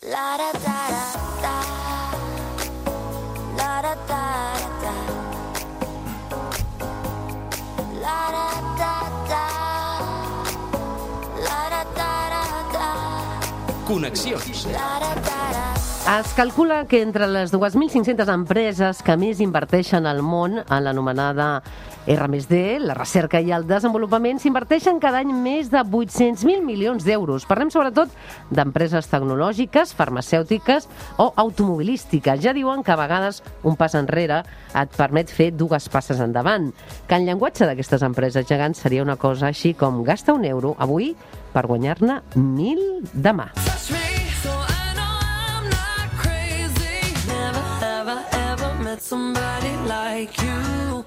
La da da da la da da da la da da da la da da da Connexions. la da da. Es calcula que entre les 2.500 empreses que més inverteixen al món en l'anomenada R+D, la recerca i el desenvolupament, s'inverteixen cada any més de 800.000 milions d'euros. Parlem sobretot d'empreses tecnològiques, farmacèutiques o automobilístiques. Ja diuen que a vegades un pas enrere et permet fer dues passes endavant. Que en llenguatge d'aquestes empreses gegants seria una cosa així com gasta €1 avui per guanyar-ne 1.000 demà.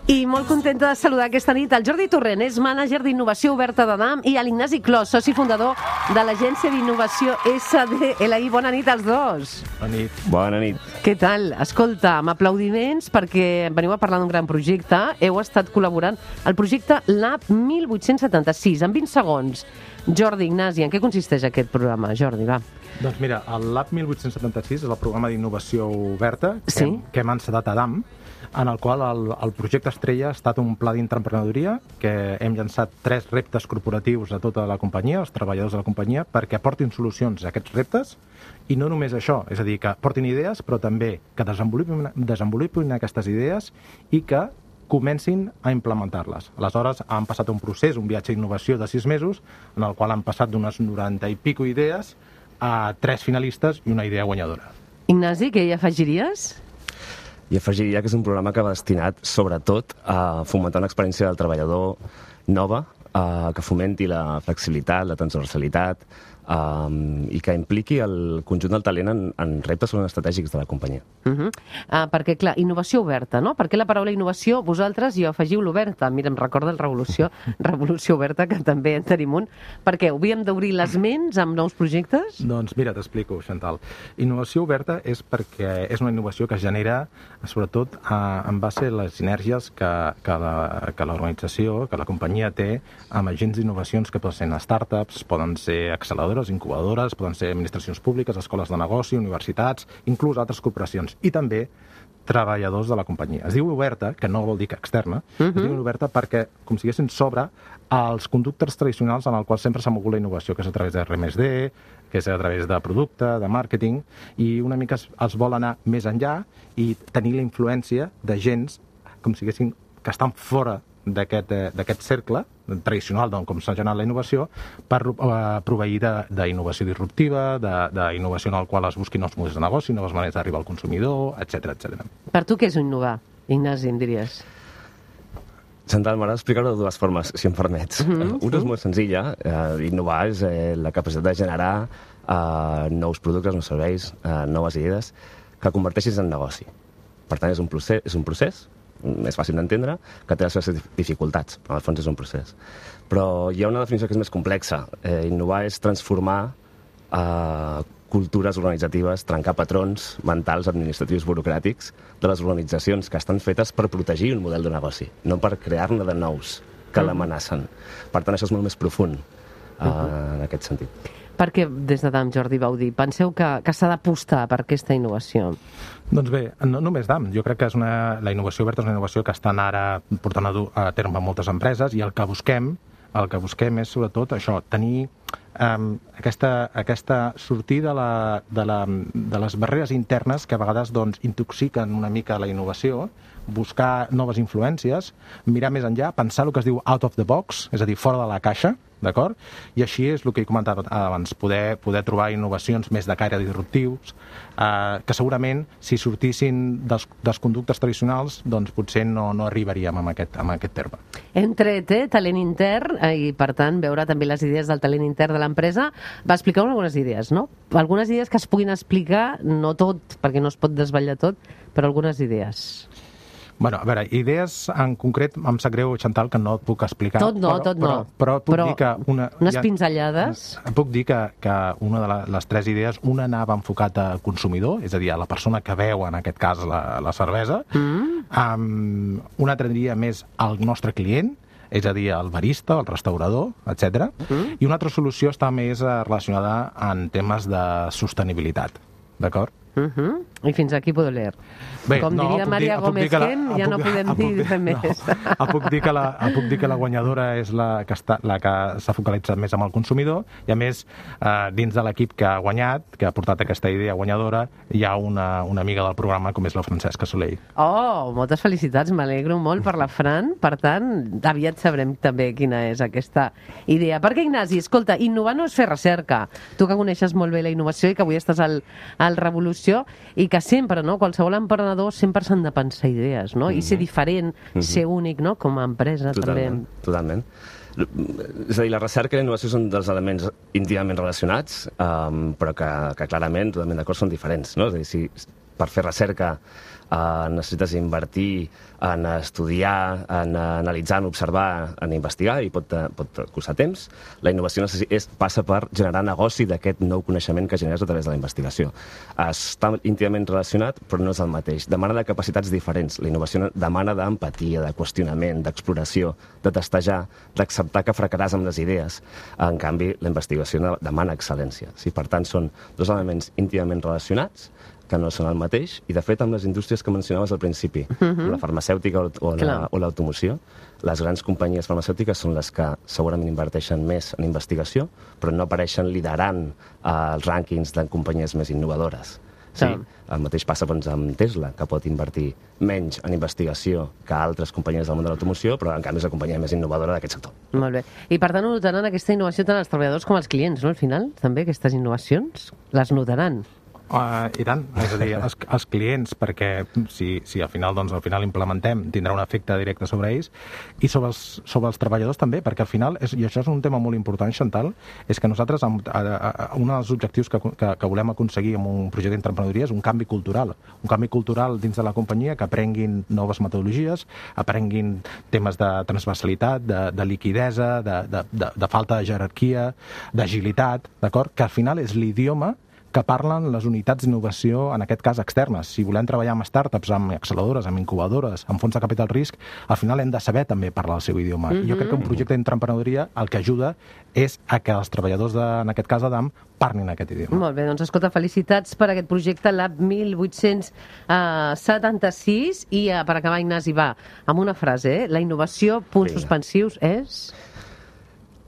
I molt contenta de saludar aquesta nit el Jordi Torrent, és mànager d'innovació oberta de DAM, i l'Ignasi Clos, soci fundador de l'agència d'innovació SDLI. Bona nit als dos. Bona nit. Bona nit. Què tal? Escolta, amb aplaudiments perquè veniu a parlar d'un gran projecte. Heu estat col·laborant al projecte Lab 1876, en 20 segons. Jordi, Ignasi, en què consisteix aquest programa? Jordi, va. Doncs mira, el Lab 1876 és el programa d'innovació oberta que hem encetat a DAM, en el qual el projecte estrella ha estat un pla d'intraemprenedoria que hem llançat 3 reptes corporatius a tota la companyia, els treballadors de la companyia, perquè aportin solucions a aquests reptes, i no només això, és a dir, que portin idees, però també que desenvolupin aquestes idees i que comencin a implementar-les. Aleshores, han passat un procés, un viatge d'innovació de 6 mesos, en el qual han passat d'unes 90 i pico idees a 3 finalistes i una idea guanyadora. Ignasi, què hi afegiries? I afegiria que és un programa que va destinat, sobretot, a fomentar una experiència del treballador nova, que fomenti la flexibilitat, la transversalitat, i que impliqui el conjunt del talent en reptes estratègics de la companyia. Perquè, clar, innovació oberta, no? Per què la paraula innovació vosaltres hi afegiu l'oberta? Mira, em recorda el Revolució Oberta, que també en tenim un. Per què? Havíem d'obrir les ments amb nous projectes? Doncs mira, t'explico, Chantal. Innovació oberta és perquè és una innovació que es genera, sobretot, en base a les sinergies que l'organització, que la companyia té amb agents d'innovacions que poden ser startups, poden ser acceleradores, incubadores, poden ser administracions públiques, escoles de negoci, universitats, inclús altres corporacions, i també treballadors de la companyia. Es diu oberta, que no vol dir que externa, es diu oberta perquè, com si haguessin sobre els conductes tradicionals en el qual sempre s'ha mogut la innovació, que és a través de R+D, que és a través de producte, de màrqueting, i una mica es vol anar més enllà i tenir la influència d'agents, com si haguessin, que estan fora d'aquest cercle tradicional com s'ha generat la innovació, per proveir d'innovació disruptiva, d'innovació en la qual es busquin nous models de negoci, noves maneres d'arribar al consumidor, etc. Per tu què és innovar, Ignasi, em diries? Chantal, m'agrada explicar-ho de dues formes, si em permets. Una és molt senzilla. Innovar és la capacitat de generar nous productes, nous serveis, noves idees que converteixis en negoci. Per tant, és un procés més fàcil d'entendre, que té les seves dificultats, però al fons és un procés. Però hi ha una definició que és més complexa. Innovar és transformar cultures organitzatives, trencar patrons mentals, administratius, burocràtics de les organitzacions que estan fetes per protegir un model de negoci, no per crear-ne de nous que l'amenacen. Per tant, això és molt més profund en aquest sentit. Per què des de DAM, Jordi, vau dir? Penseu que s'ha d'apostar per aquesta innovació? Doncs bé, no només DAM. Jo crec que la innovació oberta és una innovació que estan ara portant a terme moltes empreses, i el que busquem és, sobretot, això, tenir sortir de les barreres internes que a vegades intoxiquen una mica la innovació, buscar noves influències, mirar més enllà, pensar el que es diu out of the box, és a dir, fora de la caixa, d'acord? I així és el que he comentat abans, poder trobar innovacions més de caire disruptius, que segurament, si sortissin dels conductes tradicionals, doncs potser no arribaríem a aquest terme. Hem tret talent intern, i per tant veure també les idees del talent intern de l'empresa. Va explicar algunes idees, no? Algunes idees que es puguin explicar, no tot, perquè no es pot desvetllar tot, però algunes idees. Bueno, a veure, idees en concret, em sap greu, Chantal, que no et puc explicar. Tot no. Però puc dir que unes pinzellades. Puc dir que una de les 3 idees, una anava enfocat al consumidor, és a dir, a la persona que veu, en aquest cas, la cervesa. Una altra diria més al nostre client, és a dir, el barista, el restaurador, etc. I una altra solució està més relacionada en temes de sostenibilitat, d'acord? I fins aquí puedo leer. Bé, Com diria Maria Gómez Gen, ja no podem dir res més. El puc dir que la guanyadora és la que s'ha focalitzat més amb el consumidor, i a més, dins de l'equip que ha guanyat, que ha portat aquesta idea guanyadora, hi ha una amiga del programa com és la Francesca Soleil. Oh, moltes felicitats, m'alegro molt per la Fran. Per tant, aviat sabrem també quina és aquesta idea. Perquè, Ignasi, escolta, innovar no és fer recerca. Tu que coneixes molt bé la innovació i que avui estàs al Revolució, i que sempre, no?, qualsevol emprenedor sempre s'han de pensar idees, no? I ser diferent, ser únic, no?, com a empresa. Totalment, també. Totalment. És a dir, la recerca i la innovació són dels elements íntimament relacionats, però que clarament, totalment d'acord, són diferents, no? És a dir, si per fer recerca necessites invertir en estudiar, en analitzar, en observar, en investigar, i pot costar temps. La innovació passa per generar negoci d'aquest nou coneixement que generes a través de la investigació. Està íntimament relacionat, però no és el mateix. Demana de capacitats diferents. La innovació demana d'empatia, de qüestionament, d'exploració, de testejar, d'acceptar que fracaràs amb les idees. En canvi, la investigació demana excel·lència. Sí, per tant, són dos elements íntimament relacionats, que no són el mateix, i de fet amb les indústries que mencionaves al principi, la farmacèutica o l'automoció, les grans companyies farmacèutiques són les que segurament inverteixen més en investigació, però no apareixen liderant els rànquings de companyies més innovadores. Sí? El mateix passa doncs, amb Tesla, que pot invertir menys en investigació que altres companyies del món de l'automoció, però en canvi és la companyia més innovadora d'aquest sector. Molt bé. I per tant notaran aquesta innovació tant els treballadors com els clients, no? Al final, també, aquestes innovacions les notaran. I tant, és a dir, els clients, perquè si al final implementem, tindrà un efecte directe sobre ells, i sobre els treballadors també, perquè al final, i això és un tema molt important, Chantal, és que nosaltres, un dels objectius que volem aconseguir amb un projecte d'entreprenedoria és un canvi cultural dins de la companyia, que aprenguin noves metodologies, aprenguin temes de transversalitat, de liquidesa, de falta de jerarquia, d'agilitat, d'acord? Que al final és l'idioma que parlen les unitats d'innovació, en aquest cas externes. Si volem treballar amb startups, amb acceleradores, amb incubadores, amb fons de capital risc, al final hem de saber també parlar el seu idioma. Jo crec que un projecte d'entreprenedoria el que ajuda és a que els treballadors, en aquest cas Adam, parlin aquest idioma. Molt bé, doncs escolta, felicitats per aquest projecte Lab 1876, i per acabar, Ignasi, va, amb una frase, la innovació, punts suspensius, és...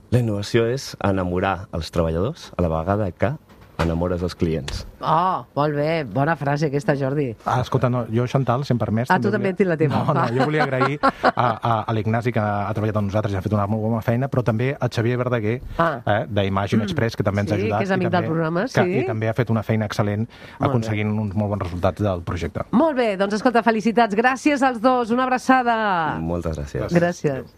La innovació és enamorar els treballadors a la vegada que enamores els clients. Oh, molt bé, bona frase aquesta, Jordi. Escolta, no, jo, Chantal, si em permets... Tu també ets la teva. No, jo volia agrair a l'Ignasi, que ha treballat amb nosaltres i ha fet una molt bona feina, però també a Xavier Verdaguer, d'Imagine Express, que també ens ha ajudat. Sí, que és amic del programa, sí. I també ha fet una feina excel·lent aconseguint uns molt bons resultats del projecte. Molt bé, doncs escolta, felicitats. Gràcies als dos, una abraçada. Moltes gràcies. Gràcies.